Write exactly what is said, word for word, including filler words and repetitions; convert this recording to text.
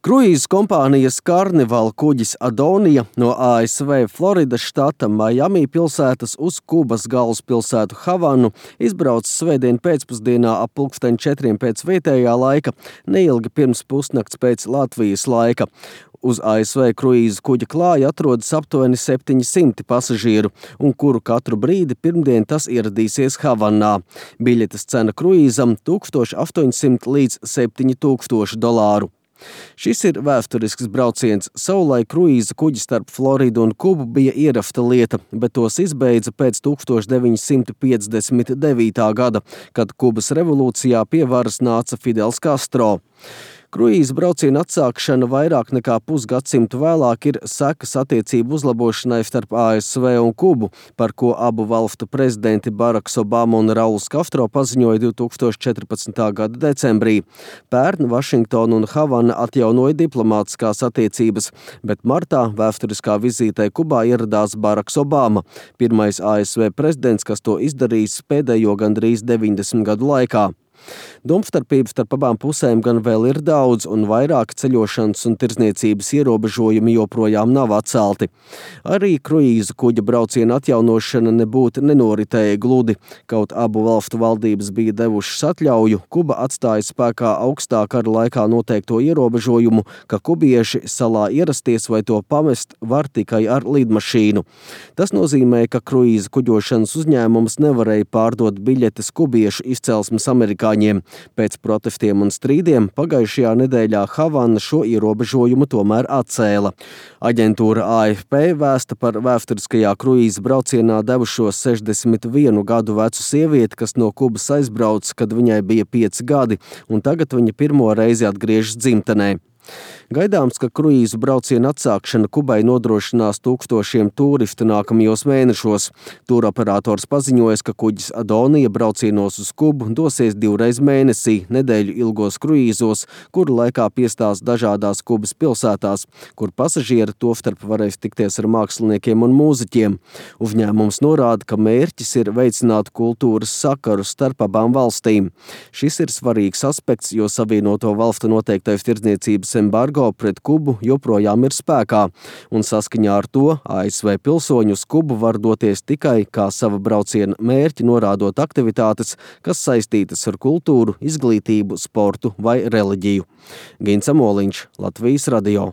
Kruīzu kompānijas Carnival kuģis Adonija no A S V Floridas štata Miami pilsētas uz Kubas galvaspilsētu Havanu izbrauca svētdien pēcpusdienā ap pulksten četriem pēc vietējā laika, neilgi pirms pusnakts pēc Latvijas laika. Uz A S V kruīzu kuģa klāja atrodas aptuveni septiņi simti pasažieru, un kuru katru brīdi pirmdien tas ieradīsies Havanā. Biļetes cena kruīzam tūkstoš astoņsimt līdz septiņi tūkstoši dolāru. Šis ir vēsturisks brauciens. Savulaik kruīza kuģi starp Floridu un Kubu bija ierafta lieta, bet tos izbeidza pēc tūkstoš deviņi simti piecdesmit devītā gada, kad Kubas revolūcijā pie varas nāca Fidels Castro. Kruīza brauciena atsākšana vairāk nekā pusgadsimtu vēlāk ir sekas attiecību uzlabošanai starp A S V un Kubu, par ko abu valstu prezidenti Baraks Obama un Rauls Castro paziņoja divtūkstoš četrpadsmitā gada decembrī. Pērn Vašingtona un Havana atjaunoja diplomātiskās attiecības, bet martā vēsturiskā vizītē Kubā ieradās Baraks Obama, pirmais A S V prezidents, kas to izdarījis pēdējo gandrīz deviņdesmit gadu laikā. Domstarpības starp abām pusēm gan vēl ir daudz, un vairāki ceļošanas un tirdzniecības ierobežojumi joprojām nav atcelti. Arī kruīzu kuģa brauciena atjaunošana nebūtu nenoritēja gludi. Kaut abu valstu valdības bija devušas atļauju, Kuba atstāja spēkā augstā kara laikā noteikto ierobežojumu, ka kubieši salā ierasties vai to pamest var tikai ar lidmašīnu. Tas nozīmē, ka kruīzu kuģošanas uzņēmums nevarēja pārdot biļetes kubiešu izcelsmes amerikāņiem. Pēc protestiem un strīdiem pagājušajā nedēļā Havana šo ierobežojumu tomēr atcēla. Aģentūra A F P vēsta par vēsturiskajā kruīza braucienā devušos sešdesmit vienu gadu vecu sievieti, kas no Kubas aizbrauca, kad viņai bija pieci gadi, un tagad viņa pirmo reizi atgriežas dzimtenē. Gaidāms, ka kruīzu brauciena atsākšana Kubai nodrošinās tūkstošiem turistu nākamajos mēnešos. Tūroperators paziņojas, ka kuģis Adonija braucienos uz Kubu dosies divreiz mēnesī, nedēļu ilgos kruīzos, kuru laikā piestās dažādās Kubas pilsētās, kur pasažieri tostarp varēs tikties ar māksliniekiem un mūziķiem. Uzņēmums norāda, ka mērķis ir veicināt kultūras sakarus starp abām valstīm. Šis ir svarīgs aspekts, jo Savienoto valstu noteiktais tirdzniecības embargo pret Kubu joprojām ir spēkā, un saskaņā ar to A S V pilsoņi uz Kubu var doties tikai kā sava brauciena mērķi, norādot aktivitātes, kas saistītas ar kultūru, izglītību, sportu vai reliģiju. Gins Amoliņš, Latvijas radio.